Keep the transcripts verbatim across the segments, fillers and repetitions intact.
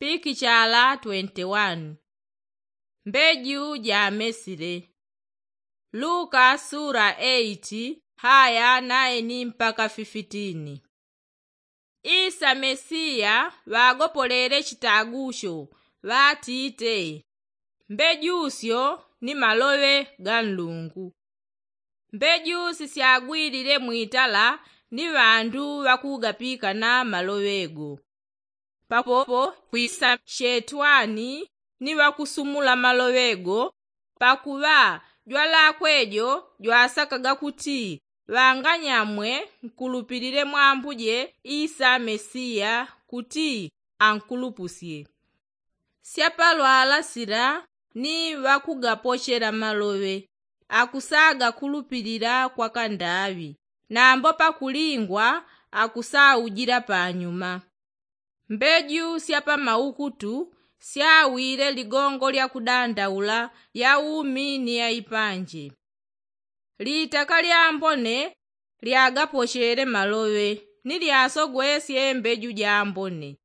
Pikichala twenti wani. Mbeju jamesile. Luka sula eiti haya naini mpaka fifitini. Isa mesiya ŵagopolele chitagusho ŵatite, mbejusyo ni maloŵe ga nlungu. Mbeju sisyagwilile mwitala ni ŵandu ŵakugapikana maloŵe go. Papopo kwisa shetwani ni ŵakusumula maloŵe go, pakuŵa jwalakwe jo jwasakaga kuti ŵanganyamwe nkulupilile mwambuje isa mesiya kuti ankulupusye. Syapalwala sila ni ŵakugapochela maloŵe akusagakulupilila kwa kandaŵi, nambo pakulingwa akusaujila panyuma. Mbeju syapamaukutu syawile ligongo lya kudandaula ya umi ni ya ipanje. Litaka lyambone lyagapochele maloŵe ni lyasogwesye mbeju jambone.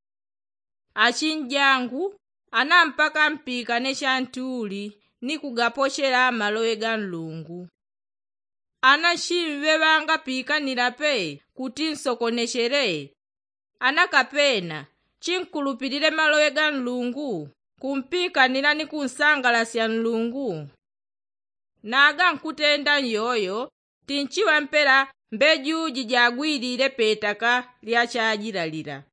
Achinjangu, ana mpaka mpikane chantuli ni kugapochela maloŵe ga nlungu. Ana chimŵe ŵangapikanila pe kuti nsokonechele? Ana kapena chinkulupilile maloŵe ga nlungu kumpikanila ni kunsangalasya nlungu? Naga nkutenda nyoyo tinchiŵa mpela mbeju jijagwilile petaka lya chajilalila.